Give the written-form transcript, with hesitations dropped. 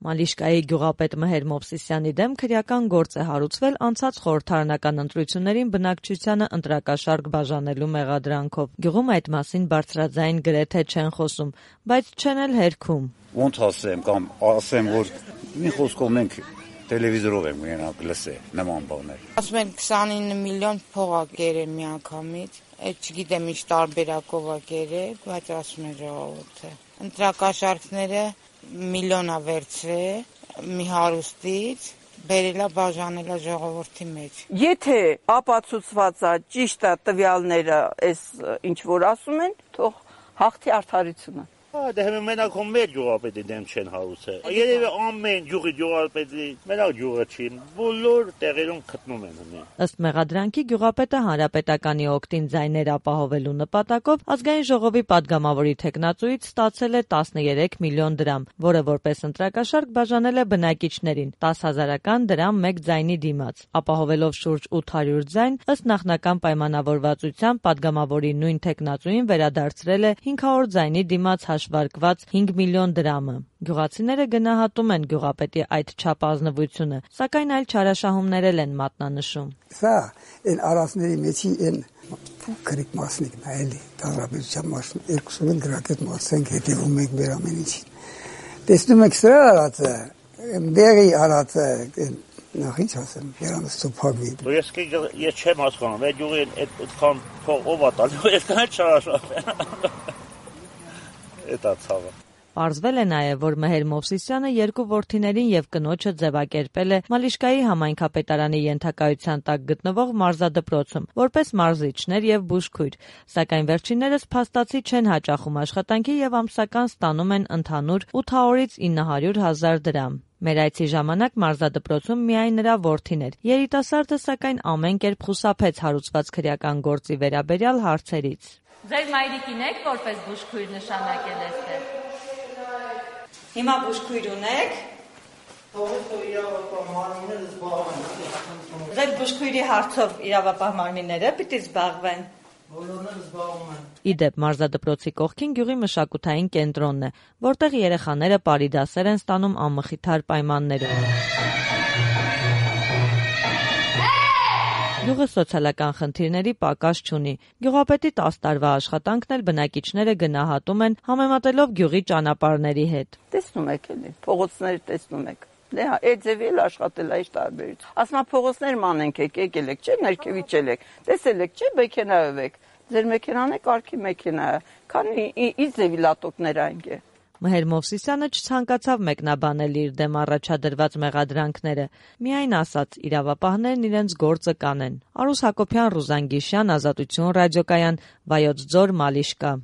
Մալիշկայի գյուղապետ Մհեր Մովսիսյանի դեմ քրեական գործ է հարուցվել անցած խորհրդարանական ընտրություններին բնակչությանը ընտրակաշարք բաժանելու մեղադրանքով։ Գյուղում այդ մասին բարձրաձայն գրեթե չեն խոսում, բայց չեն էլ հերքում։ Ոնց ասեմ կամ ասեմ, որ մի խոսքով մենք տելևիզորով եմ ունենալ լսել նման բաներ։ Ասում են 29 միլիոն փող ա կերել միանգամից, այդ չգիտեմ ինչ տարբերակով ա կերել, բայց ասում են ժողովուրդը։ Ընտրակաշարքները միլիոն ա վերցրել մի հարուստից, բերելա բաժանելա ժողովրդի մեջ։ Եթե ապացուցված է ճիշտ է տվյալները, այս ինչ որ ասում են, թող հաղթի արդարությունը։ Դե հիմա մենակ մեր գյուղապետի դեմ չեն հարուցել։ Երևի ամեն գյուղի գյուղապետի մենակ գյուղը չի, բոլոր տեղերում գտնում են հնի։ Ըստ մեղադրանքի գյուղապետը հանրապետականի օգտին ձայներ ապահովելու նպատակով ազգային ժողովի падգամավորի թեկնածուից ստացել է 13 միլիոն դրամ, որը որպես ընտրակաշարք բաժանել է բնակիչներին 10,000 դրամ մեկ ձայնի դիմաց։ Ապահովելով շուրջ 800 ձայն, ըստ նախնական պայմանավորվածության падգամավորի նույն թեկնածուին վերադարձրել է 500 ձայնի դիմաց հաշվարկված 5 միլիոն դրամը։ Գյուղացիները գնահատում են գյուղապետի այդ չափազնվությունը, սակայն այլ չարաշահումներ են մատնանշում։ Սա այն արածների մեջի այն փոքրիկ մասնիկն է, էլի, դարաբերության մասն, երկուսով էլ գրակետ մասենք հետևում ենք մեր ամեն ինչին։ Տեսնում եք սրա արածը, դեղի արածը, նախ ինչ ասեմ, երանս ծոփագի։ Ես չեմ հասկանում, այդ գյուղի այդքան փող ով ա տալու, այդքան չարաշահում։ Էտա ցավը։ Պարզվել է նաև, որ Մհեր Մովսիսյանը երկու որդիներին եւ կնոջը ձևակերպել է Մալիշկայի համայնքապետարանի ենթակայության տակ գտնվող մարզադպրոցում, որպես մարզիչներ եւ բուժքույր, սակայն վերջիններս փաստացի չեն հաճախում աշխատանքի եւ ամսական ստանում են ընդհանուր 800-ից 900,000 դրամ։ Մեր այցի ժամանակ մարզադպրոցում միայն նրա որդին էր։ Երիտասարդը սակայն ամեն կերպ խուսափեց հարուցված քրեական գործի վերաբերյալ հարցերից։ Ձեր մայրիկին եք որպես բուժքույր նշանակել այստեղ։ Հիմա բուժքույր ունեք։ Ձեր բուժքույրի հարցով իրավապահ մարմինները պիտի զբաղվեն։ Իդեպ մարզադպրոցի կողքին գյուղի մշակութային կենտրոնն է, որտեղ երեխաները պարի դասեր են ստանում անմխիթար պայմաններում։ Գյուղը սոցիալական խնդիրների պակաս չունի։ Գյուղապետի 10 տարվա աշխատանքն էլ բնակիչները գնահատում են համեմատելով գյուղի ճանապարհների հետ։ Տեսնում եք էլի, փողոցները տեսնում եք։ Դե հա, այդ ձևի էլ աշխատել այս տարբերություն։ Ասում փողոցներ մանենք եք, եկել եք, չէ՞, ներքևիչել եք։ Տեսել եք, չէ՞, մեքենայով եք։ Ձեր մեքենան է կարգի մեքենա է։ Քանի ի ձևի լատոկներ այնք է։ Մհեր Մովսիսյանը չցանկացավ մեկնաբանել իր դեմ առաջադրված մեղադրանքները, միայն ասաց իրավապահներն իրենց գործը կանեն։ Արուս Հակոբյան, Ռուզան Գիշյան, Ազատություն ռադիոկայան, Վայոց ձոր, Մալիշկա։